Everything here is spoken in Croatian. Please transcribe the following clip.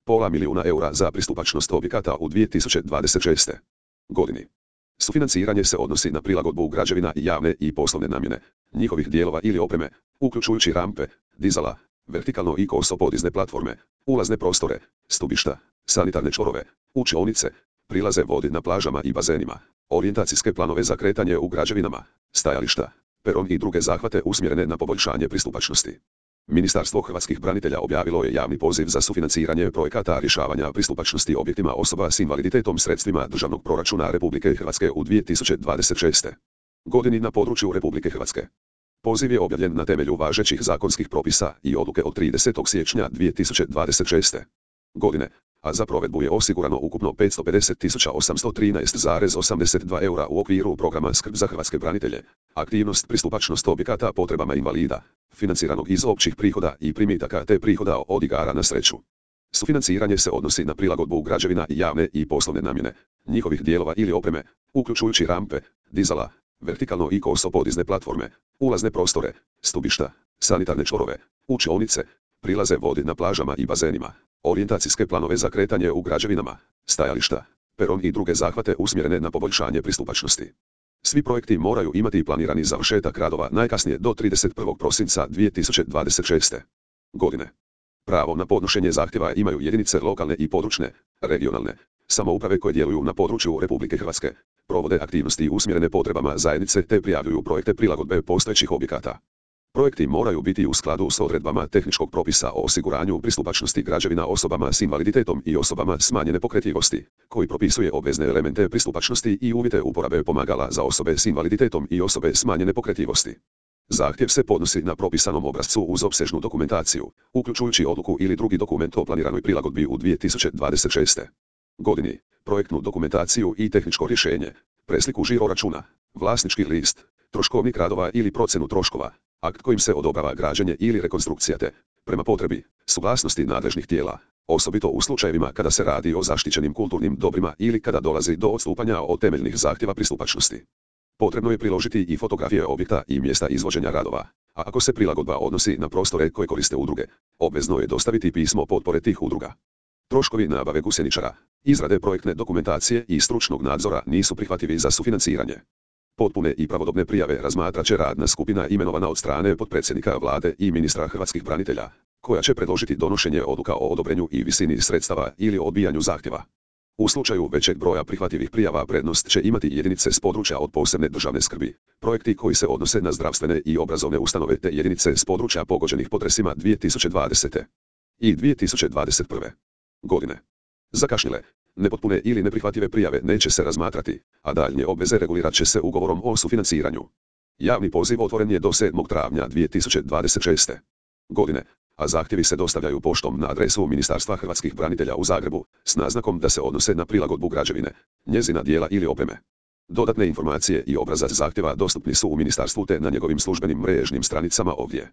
pola milijuna eura za pristupačnost objekata u 2026. godini. Sufinanciranje se odnosi na prilagodbu građevina javne i poslovne namjene, njihovih dijelova ili opreme, uključujući rampe, dizala, vertikalno i koso podizne platforme, ulazne prostore, stubišta, sanitarne čvorove, učionice, prilaze vodi na plažama i bazenima, orijentacijske planove za kretanje u građevinama, stajališta, peron i druge zahvate usmjerene na poboljšanje pristupačnosti. Ministarstvo hrvatskih branitelja objavilo je javni poziv za sufinanciranje projekata rješavanja pristupačnosti objektima osoba s invaliditetom sredstvima državnog proračuna Republike Hrvatske u 2026. godini na području Republike Hrvatske. Poziv je objavljen na temelju važećih zakonskih propisa i odluke od 30. siječnja 2026. godine, a za provedbu je osigurano ukupno 550.813,82 eura u okviru programa Skrb za hrvatske branitelje, aktivnost pristupačnost objekata potrebama invalida, financiranog iz općih prihoda i primitaka te prihoda od igara na sreću. Sufinanciranje se odnosi na prilagodbu građevina javne i poslovne namjene, njihovih dijelova ili opreme, uključujući rampe, dizala, vertikalno i koso podizne platforme, ulazne prostore, stubišta, sanitarne čvorove, učionice, prilaze vodi na plažama i bazenima, orijentacijske planove za kretanje u građevinama, stajališta, peron i druge zahvate usmjerene na poboljšanje pristupačnosti. Svi projekti moraju imati planirani završetak radova najkasnije do 31. prosinca 2026. godine. Pravo na podnošenje zahtjeva imaju jedinice lokalne i područne, regionalne samouprave koje djeluju na području Republike Hrvatske, provode aktivnosti usmjerene potrebama zajednice te prijavljuju projekte prilagodbe postojećih objekata. Projekti moraju biti u skladu s odredbama tehničkog propisa o osiguranju pristupačnosti građevina osobama s invaliditetom i osobama smanjene pokretljivosti, koji propisuje obvezne elemente pristupačnosti i uvjete uporabe pomagala za osobe s invaliditetom i osobe smanjene pokretljivosti. Zahtjev se podnosi na propisanom obrascu uz opsežnu dokumentaciju, uključujući odluku ili drugi dokument o planiranoj prilagodbi u 2026. godini, projektnu dokumentaciju i tehničko rješenje, presliku žiro računa, vlasnički list, troškovnik radova ili procjenu troškova, akt kojim se odobrava građenje ili rekonstrukcija te, prema potrebi, suglasnosti nadležnih tijela, osobito u slučajevima kada se radi o zaštićenim kulturnim dobrima ili kada dolazi do odstupanja od temeljnih zahtjeva pristupačnosti. Potrebno je priložiti i fotografije objekta i mjesta izvođenja radova, a ako se prilagodba odnosi na prostore koje koriste udruge, obvezno je dostaviti pismo potpore tih udruga. Troškovi nabave gusjeničara, izrade projektne dokumentacije i stručnog nadzora nisu prihvatljivi za sufinanciranje. Potpune i pravodobne prijave razmatrat će radna skupina imenovana od strane potpredsjednika Vlade i ministra hrvatskih branitelja, koja će predložiti donošenje odluka o odobrenju i visini sredstava ili odbijanju zahtjeva. U slučaju većeg broja prihvatljivih prijava prednost će imati jedinice s područja od posebne državne skrbi, projekti koji se odnose na zdravstvene i obrazovne ustanove te jedinice s područja pogođenih potresima 2020. i 2021. godine. Zakašnjele, nepotpune ili neprihvatljive prijave neće se razmatrati, a daljnje obveze regulirat će se ugovorom o sufinanciranju. Javni poziv otvoren je do 7. travnja 2026. godine, a zahtjevi se dostavljaju poštom na adresu Ministarstva hrvatskih branitelja u Zagrebu, s naznakom da se odnose na prilagodbu građevine, njezina dijela ili opreme. Dodatne informacije i obrazac zahtjeva dostupni su u ministarstvu te na njegovim službenim mrežnim stranicama ovdje.